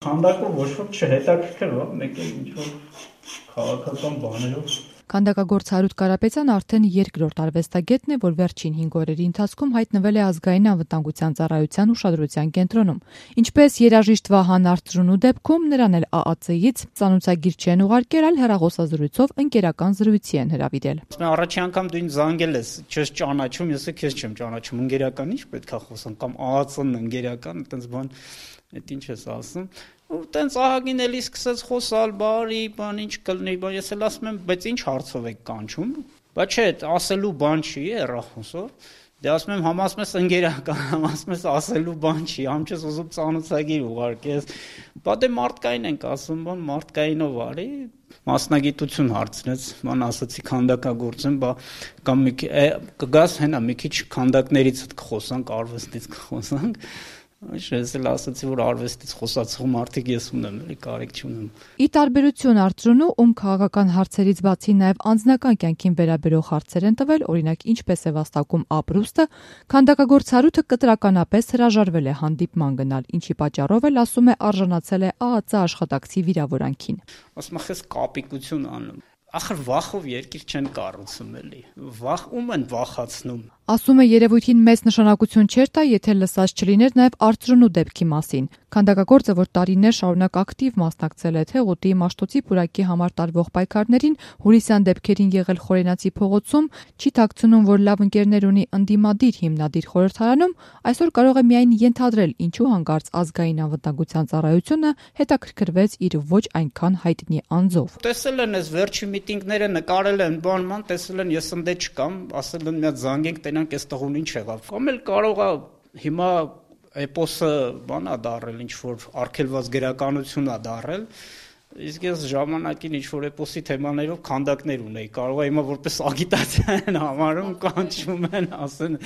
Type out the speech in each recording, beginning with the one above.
Քանդակը ոչ ոք չհետաքրքրվա, մեկ էլ ինչ-որ քաղաքական բաներով։ Քանդակագործ Հարութ Կարապետյանը արդեն երկրորդ արվեստագետն է, որ վերջին 5 օրերի ընթացքում հայտնվել է ազգային անվտանգության ծառայության ուշադրության կենտրոնում։ Ինչպես երաժիշտ Վահան Արծրունու դեպքում նրան էլ ԱԱՑ-ից ծանոթագիր չեն ուղարկել, այլ հեռախոսազրույցով ընկերական զրույցի են հրավիրել։ Առաջի անգամ դու ինձ զանգել ես, չես ճանաչում, ես քեզ չեմ ճանաչում, ընկերական ի՞նչ պետք է խոսեմ, կամ ԱԱՑ-ն ընկերական, այտենց բան, այդ ինչ ես ասում։ Ու տենց ահագին էլի սկսեց խոսալ, բարի, բան ինչ կլինի, բան ես էլ ասում եմ, բայց ինչ հարցով եք կանչում։ Բայց չէ, ասելու բան չի, հեռախոսով։ Դե ասում եմ, համ ասում ես ընկերական, համ ասում ես ասելու բան չի, համ չես ուզում ծանոթագիր ուղարկես։ Բա դե մարդկային ենք ասում, բան մարդկայինով արի, մասնագիտություն հարցնեց, բան ասացի քանդակագործ եմ, բա կամ կգաս հենա մի քիչ քանդակներից կխոսանք, արվեստից կխոսանք։ Ես էլ ասացի, որ արվեստից խոսացող մարդիկ ես ունեմ, էլի կարիք չունեմ։ Ի տարբերություն Արծրունու, ում քաղաքական հարցերից բացի նաև անձնական կյանքին վերաբերող հարցեր են տվել, օրինակ ինչպես է վաստակում ապրուստը, քանդակագործ Հարութը կտրականապես հրաժարվել է հանդիպման գնալ, ինչի պատճառով էլ ասում է արժանացել է ԱԱՑ աշխատակցի վիրավորանքին։ Ասում եմ, ես կապիկություն անում։ Ախր վախով երկիր չեն կառուցում էլի։ Վախ ում են վախացնում։ Ասում է երևույթին մեծ նշանակություն չէր տա, եթե լսած չլիներ նաև Արծրունու դեպքի մասին։ Քանդակագործը, որ տարիներ շարունակ ակտիվ մասնակցել է Թեղուտի, Մաշտոցի պուրակի համար տարվող պայքարներին, հուրիսյան դեպքերին եղել Խորենացի փողոցում, չի թաքցնում, որ լավ ընկերներ ունի ընդդիմադիր հիմնադիր խորհրդարանում, այսօր կարող է միայն ենթադրել, ինչու հանկարծ ազգային անվտանգության ծառայությունը հետաքրքրվեց իր ոչ այնքան հայտնի անձով։ Տեսել են այս վերջի միտինգները, նկարել են բանման, տեսել են ես ընդե չկամ, ասել են մի հատ զանգենք տենանք այս տղուն ինչ եղավ։ Կամ էլ կարող է հիմա էպոսը բան է դարել, ինչ որ արգելված գրականություն է դարել, իսկ ես ժամանակին ինչ որ էպոսի թեմաներով քանդակներ ունեի, կարող է հիմա որպես ագիտացիա են համարում, կանչում են, ասեն,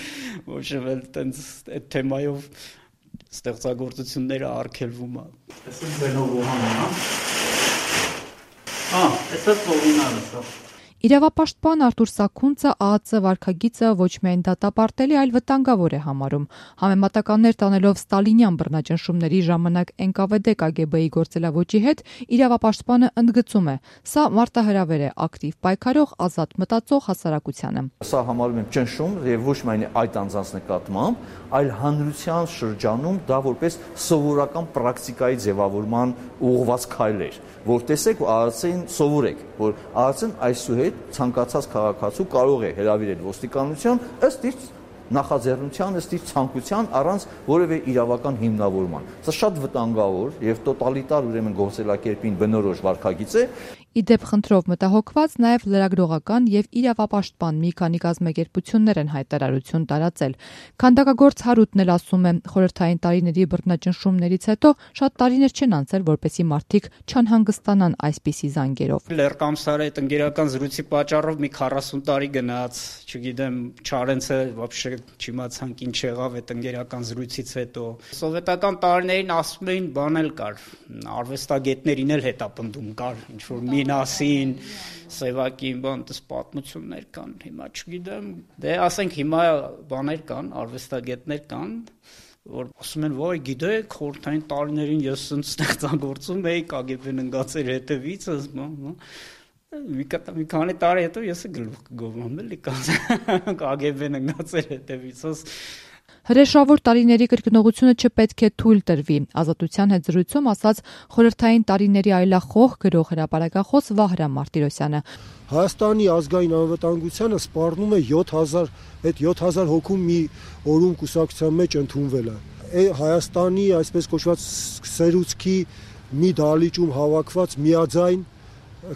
ոչ էլ տենց այդ թեմայով ստեղծագործությունները արգելվում է։ Այսպես բենով Վահանն է։ Այսպես Վահանն է։ Իրավապաշտպան Արտուր Սաքունցը ԱԱՑ վարքագիծը ոչ միայն դատապարտելի, այլ վտանգավոր է համարում։ Համեմատականներ տանելով ստալինյան բռնաճնշումների ժամանակ ՆԿՎԴ ԿԳԲ-ի գործելավոճի հետ, իրավապաշտպանը ընդգծում է. սա մարտահրավեր է ակտիվ պայքարող, ազատ մտածող հասարակությանը։ Սա համարում եմ ճնշում եւ ոչ միայն այդ անձանց նկատմամբ, այլ հանրության շրջանում դա որպես սովորական պրակտիկայի ձևավորման ուղղված քայլ էր, որ տեսեք ԱԱՑ-ին սովորեք, որ ԱԱՑ-ն այսուհետ ցանկացած քաղաքացու կարող է հրավիրել ոստիկանության ըստ իր նախաձեռնության, ըստ իր ցանկության առանց որևէ իրավական հիմնավորման։ Սա շատ վտանգավոր եւ տոտալիտար ուրեմն գործելակերպին բնորոշ վարքագիծ է։ Իդեպ խնդրով մտահոգված նաև լրագրողական եւ իրավապաշտպան մի քանի կազմակերպություններ են հայտարարություն տարածել։ Քանդակագործ Հարութն էլ ասում է, խորհրդային տարիների բռնաճնշումներից հետո շատ տարիներ չեն անցել, որպեսզի մարդիկ չանհանգստանան այսպիսի զանգերով։ Լեռկամսարը այդ ընկերական զրույցի պատճառով մի 40 տարի գնաց, չգիտեմ, Չարենցը вообще չիմացանք ինչ եղավ այդ ընկերական զրույցից հետո։ Սովետական տարիներին ասում էին բան էլ կար, արվեստագետներին էլ հետապնդում կար, ինչ որ Մինասին, Սևակին, բան, դες պատմություններ կան, հիմա չգիտեմ, դե ասենք հիմա բաներ կան, արվեստագետներ կան, որ ասում են, «Ոյ, գիտեք, խորհրդային տարիներին ես ստեղծագործում էի, ԿԳԲ-ն ընկած էր հետևից, մի քանի տարի հետո ես գլուխ կգովեմ, էլի ԿԳԲ-ն ընկած էր հետևից, Հրեշավոր տարիների կրկնողությունը չպետք է թույլ տրվի, Ազատության հետ զրույցում ասաց խորհրդային տարիների այլախոհ գրող հրապարակախոս Վահրամ Մարտիրոսյանը։ Հայաստանի ազգային անվտանգությանը սպառնում է 7000, այդ 7000 հոգու մի օրում կուսակցության մեջ ընդունվել է։ Հայաստանի այսպես կոչված սերուցքի մի դահլիճում հավաքված միաձայն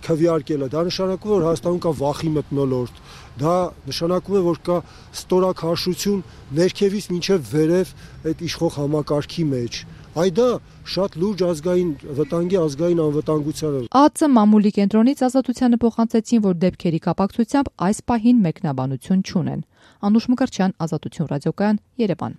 քվեարկելը, դա նշանակում է, որ Հայաստանում կա վախի մթնոլորտ, դա նշանակում է, որ կա ստորաքաշություն ներքևից մինչև վերև այդ իշխող համակարգի մեջ։ Այդա շատ լուրջ ազգային վտանգի, ազգային անվտանգությանը։ ԱԱՑ մամուլի կենտրոնից Ազատությանը փոխանցեցին, որ դեպքերի կապակցությամբ այս պահին մեկնաբանություն չունեն։ Անուշ Մկրտչյան, Ազատություն ռադիոկայան, Երևան։